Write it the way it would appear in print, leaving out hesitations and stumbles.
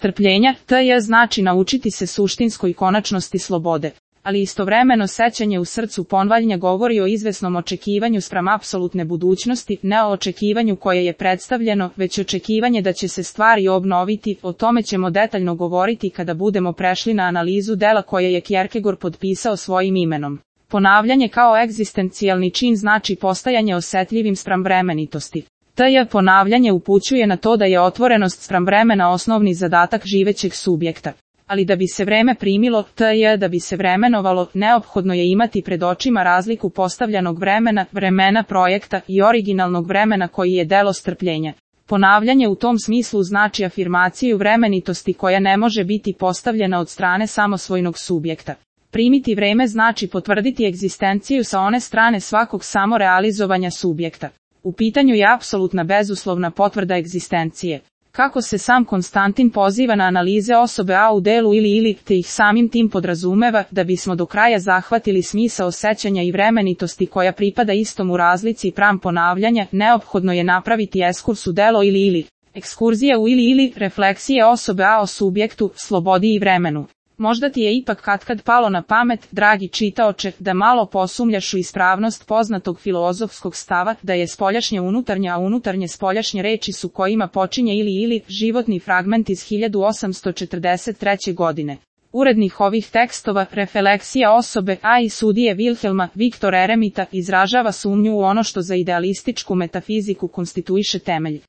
Strpljenja, znači naučiti se suštinskoj konačnosti slobode. Ali istovremeno sećanje u srcu ponvaljnja govori o izvesnom očekivanju spram apsolutne budućnosti, ne o očekivanju koje je predstavljeno, već očekivanje da će se stvari obnoviti. O tome ćemo detaljno govoriti kada budemo prešli na analizu dela koje je Kierkegaard potpisao svojim imenom. Ponavljanje kao egzistencijalni čin znači postajanje osetljivim spram vremenitosti. Ponavljanje upućuje na to da je otvorenost spram vremena osnovni zadatak živećeg subjekta. Ali da bi se vreme primilo, da bi se vremenovalo, neophodno je imati pred očima razliku postavljanog vremena, vremena projekta i originalnog vremena koji je delo strpljenja. Ponavljanje u tom smislu znači afirmaciju vremenitosti koja ne može biti postavljena od strane samosvojnog subjekta. Primiti vreme znači potvrditi egzistenciju sa one strane svakog samorealizovanja subjekta. U pitanju je apsolutna bezuslovna potvrda egzistencije. Kako se sam Konstantin poziva na analize osobe A u delu ili, te ih samim tim podrazumeva, da bismo do kraja zahvatili smisao sećanja i vremenitosti koja pripada istom u razlici pram ponavljanja, neophodno je napraviti ekskurs u delo ili. Ekskurzija u ili, refleksije osobe A o subjektu, slobodi i vremenu. Možda ti je ipak katkad palo na pamet, dragi čitaoče, da malo posumljaš u ispravnost poznatog filozofskog stava, da je spoljašnje unutarnje, a unutarnje spoljašnje reči su kojima počinje ili, životni fragment iz 1843. godine. Urednik ovih tekstova, refleksija osobe A i sudije Wilhelma, Viktor Eremita, izražava sumnju u ono što za idealističku metafiziku konstituiše temelj.